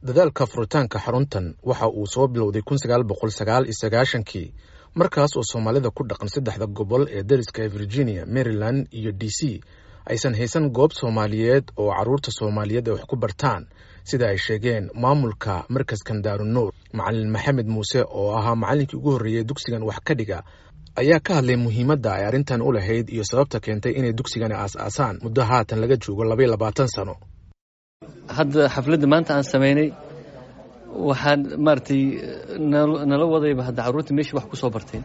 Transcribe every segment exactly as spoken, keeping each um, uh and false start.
Dadaalka furitaanka xaruntan waxa uu soo bilowday kun sagaal boqol sagaal iyo sagaashankii, markaas oo Soomaalida ku dhaqan saddexda gobol ee dariska ee Virginia, Maryland iyo D C aysan haysan goob Soomaaliyeed oo carruurta Soomaaliyeed ay wax ku bartaan, sida ay sheegeen maamulka markaskan Daarunuur. Macalin Maxamed Muuse oo ahaa macallinkii ugu horreeyey dugsigan wax ka dhiga ayaa ka hadlay muhiimadda ay arrintan u lahayd iyo sababta keentay inay dugsigani aas-aasaan muddo haatan laga joogo labaiyo labaatan sano. Hadda xafladda maanta aan samaynay waxaan maaragtay nala wadayba hadda carruurta meeshii wax ku soo bartay,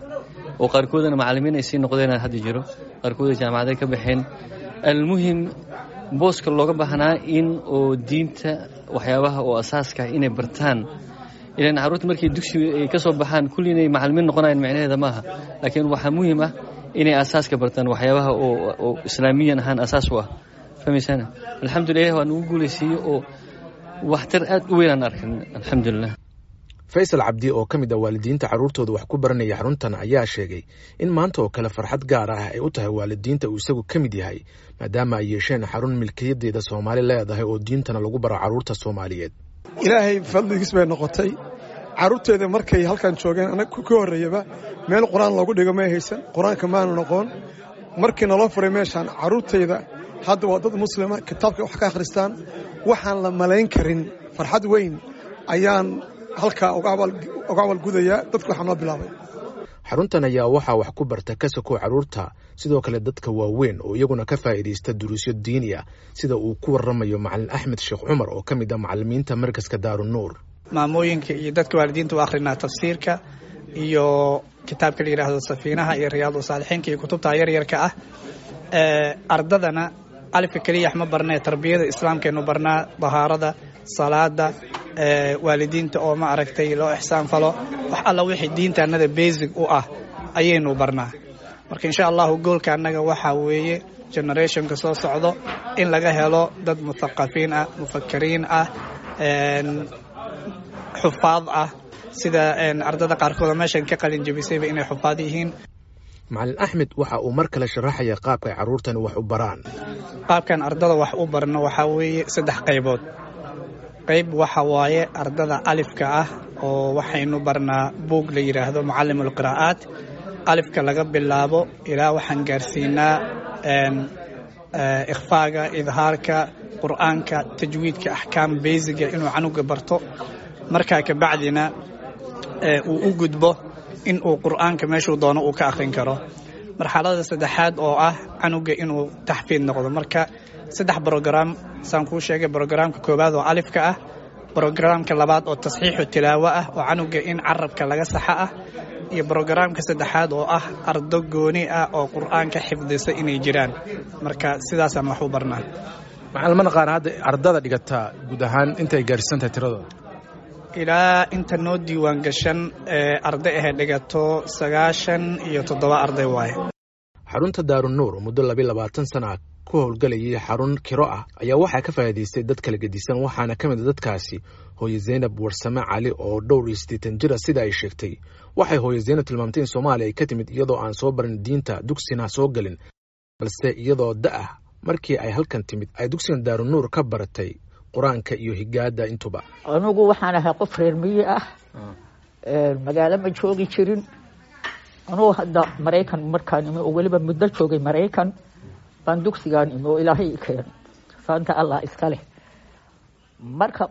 oo qaarkoodana macallimiin ay sii noqdeen hadda jiro, qaarkooda jaamacaday ka baxeen. Almuhim, booska looga baahnaa in oo diinta waxyaabaha oo asaaska ah inay bartaan, ilaan carruurta markay dugsiga ay ka soo baxaan kulli inay macallimiin noqonayaan micnaheeda maaha, laakiin waxaa muhiim ah inay asaaska bartaan, waxyaabaha oo oo islaamiyan ahaan asaas u ah. Fahmaysana? Alxamdulilah, waa nagu guulaysiiyey oo waxtar aad u weyn aan arkan, alxamdulilah. Faysal Cabdi oo ka mid ah waalidiinta carruurtooda wax ku baranaya xaruntan ayaa sheegay in maanta oo kale farxad gaar ah ay u tahay waalidiinta uu isagu ka mid yahay, maadaama ay yeesheen xarun milkiyadeeda Soomaali leedahay oo diintana lagu baro carruurta Soomaaliyeed. Ilaahay fadligiis bay noqotay. Carruurteeda markay halkan joogeen, anaga ka horreeyaba meel qur-aan loogu dhigo may haysan, qur-aanka maanu noqon. Markii naloo furay meeshaan, carruurtayda hadda waa dad muslima, kitaabka wax ka akhristaan. Waxaan la malayn karin farxad weyn ayaan halkaa uga abaalgudayaa dadka waxaa noo bilaabay. Xaruntan ayaa waxaa wax ku barta ka sokow carruurta sidoo kale dadka waaweyn oo iyaguna ka faa'iidaysta duruusyo diini ah, sida uu ku warramayo Macalin Axmed Sheekh Cumar oo ka mid ah macallimiinta markaska Daarunuur. Maamooyinka iyo dadka waalidiinta u akhrinaa tafsiirka iyo kitaabka la yidhaahdo Safiinaha iyo Riyaadu Saalixiinka iyo kutubta yaryarka ah. Ardadana alifka keliya ma barnee, tarbiyada islaamkeenu barnaa, dahaarada, salaada, waalidiinta oo ma aragtay loo ixsaan falo, wax alla wixii diintaanada basic u ah ayaynu barnaa. Marka insha Allahu goolka annaga waxaa weeye generationka soo socdo in laga helo dad muthaqafiin ah, mufakiriin ah, xufaad ah, sida ardada qaarkooda meeshan ka qalin jebisayba inay xufaad yihiin. Macalin Axmed waxa uu mar kale sharaxaya qaabka ay carruurtani wax u baraan. Qaabkan ardada wax u barno waxaa weeye saddex qaybood. Qayb waxa waaye ardada alifka ah, oo waxaynu barnaa buug la yidhaahdo Mucallim Alqiraa'aat. Alifka laga bilaabo ilaa waxaan gaarsiinaa ikhfaaga, idhaarka qur'aanka, tajwiidka, axkaam basiga inuu canuga barto. Markaa kabacdina uu u gudbo in uu qur'aanka meeshuu doono uu ka akhrin karo. Marxalada saddexaad oo ah canuga inuu taxfiid noqdo. Marka saddex brogram saan kuu sheegay: brogramka koowaad oo alifka ah, brogramka labaad oo tasxiixu tilaawo ah oo canuga in carabka laga saxa ah, iyo brogramka saddexaad oo ah ardo gooni ah oo qur'aanka xifdisa inay jiraan. Marka sidaasaan wax u barnaa. Macalin, ma naqaana hadda ardada dhigataa guud ahaan intay gaarsiisan tahay tiradooda? Ilaa inta noo diiwaan gashan ee arday ahe dhigato sagaashan iyo toddoba arday waaye. Xarunta Daarunuur oo muddo labiyo labaatan sana ah ku howlgelayay xarun kiro ah ayaa waxaa ka faa'iidaystay dad kala gedisan, waxaana ka mid a dadkaasi hooye Zaynab Warsame Cali oo dhowr iyo siddeetan jir ah. Sida ay sheegtay, waxay hooye Zaynab tilmaamtay in Soomaaliya ay ka timid iyadoo aan soo barin diinta, dugsina soo gelin, balse iyadoo da ah markii ay halkan timid ay dugsigan Daarunuur ka baratay qur-aanka iyo higaada intuba. Anugu waxaan ahay qof reer miyi ah, magaalo ma joogi jirin. Anugu hadda Maraykan markaan imi oo weliba muddo joogay Maraykan baan dugsigaan imi oo Ilaahay i keenay, faanta Allah iska leh. Marka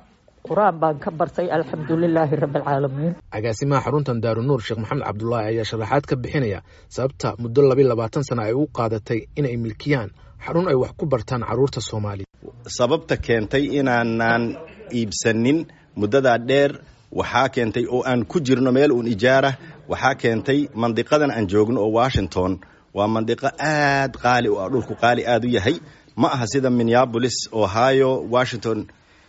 qur-aan baan ka bartay, alxamdulilaahi rabbi alcaalamiin. Agaasimaha xaruntan Daarunuur, Sheekh Maxamed Cabdulaahi, ayaa sharaxaad ka bixinaya sababta muddo labiyo labaatan sana ay u qaadatay inay milkiyaan xarun ay wax ku bartaan carruurta Soomaaliya. Sababta keentay inaanaan iibsanin muddadaa dheer waxaa keentay oo aan ku jirno meel uun ijaarah, waxaa keentay mandiqadan aan joogno oo Washington waa mandiqo aad qaali u ah, dhulku qaali aad u yahay. Ma aha sida Minneapolis, Ohio, Washington,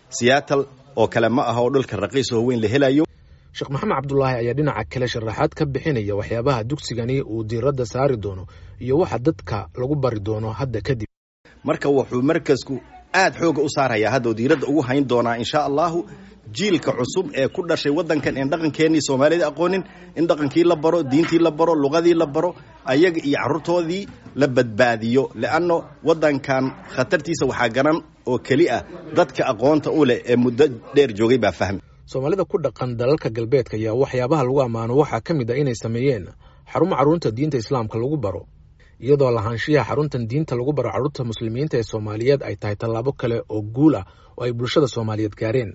Seattle oo kale ma aha oo dhulka raqiis oo weyn la helayo. Sheekh Maxamed Cabdulaahi ayaa dhinaca kale sharaxaad ka bixinaya waxyaabaha dugsigani uu diiradda saari doono iyo waxa dadka lagu bari doono hadda kadib. Marka wuxuu markasku aad xooga u saarayaa hadda oo diiradda ugu hayn doonaa insha Allahu jiilka cusub ee ku dhashay waddankan een dhaqankeennii Soomaalida aqoonin, in dhaqankii la baro, diintii la baro, luqadii la baro, ayaga iyo carruurtoodii la badbaadiyo, leanno waddankan khatartiisa waxaa garan oo keli ah dadka aqoonta u leh ee muddo dheer joogay baa fahmi. Soomaalida ku dhaqan dalalka galbeedka ayaa waxyaabaha lagu ammaano waxaa ka mid ah inay sameeyeen xarumo carruurta diinta islaamka lagu baro, iyadoo lahaanshiyaha xaruntan diinta lagu baro carruurta muslimiinta ee soomaaliyeed ay tahay tallaabo kale oo guul ah oo ay bulshada soomaaliyeed gaareen.